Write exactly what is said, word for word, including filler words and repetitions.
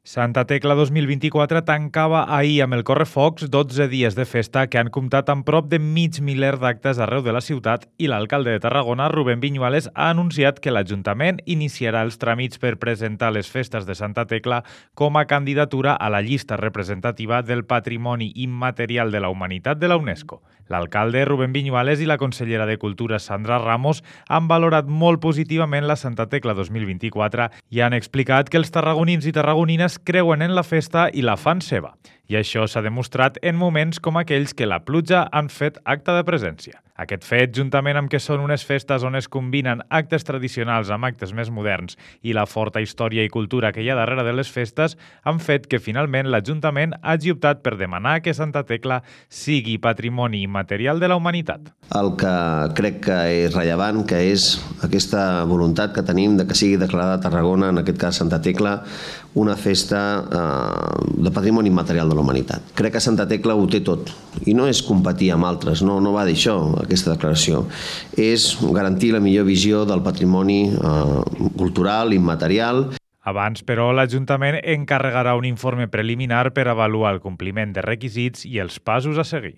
Santa Tecla dos mil vint-i-quatre tancava ahir amb el Correfocs dotze dies de festa que han comptat amb prop de mig miler d'actes arreu de la ciutat i l'alcalde de Tarragona, Rubén Viñuales, ha anunciat que l'Ajuntament iniciarà els tràmits per presentar les festes de Santa Tecla com a candidatura a la llista representativa del Patrimoni Immaterial de la Humanitat de la UNESCO. L'alcalde, Rubén Viñuales, i la consellera de Cultura, Sandra Ramos, han valorat molt positivament la Santa Tecla dos mil vint-i-quatre i han explicat que els tarragonins i tarragonines creuen en la festa i la fan seva. I això s'ha demostrat en moments com aquells que la pluja han fet acte de presència. Aquest fet, juntament amb que són unes festes on es combinen actes tradicionals amb actes més moderns i la forta història i cultura que hi ha darrere de les festes, han fet que finalment l'Ajuntament hagi optat per demanar que Santa Tecla sigui patrimoni immaterial de la humanitat. El que crec que és rellevant, que és aquesta voluntat que tenim de que sigui declarada a Tarragona, en aquest cas Santa Tecla, una festa eh, de patrimoni immaterial de la humanitat. Crec que Santa Tecla ho té tot, i no és competir amb altres, no, no va d'això, aquesta declaració. És garantir la millor visió del patrimoni eh, cultural, immaterial. Abans, però, l'Ajuntament encarregarà un informe preliminar per avaluar el compliment de requisits i els passos a seguir.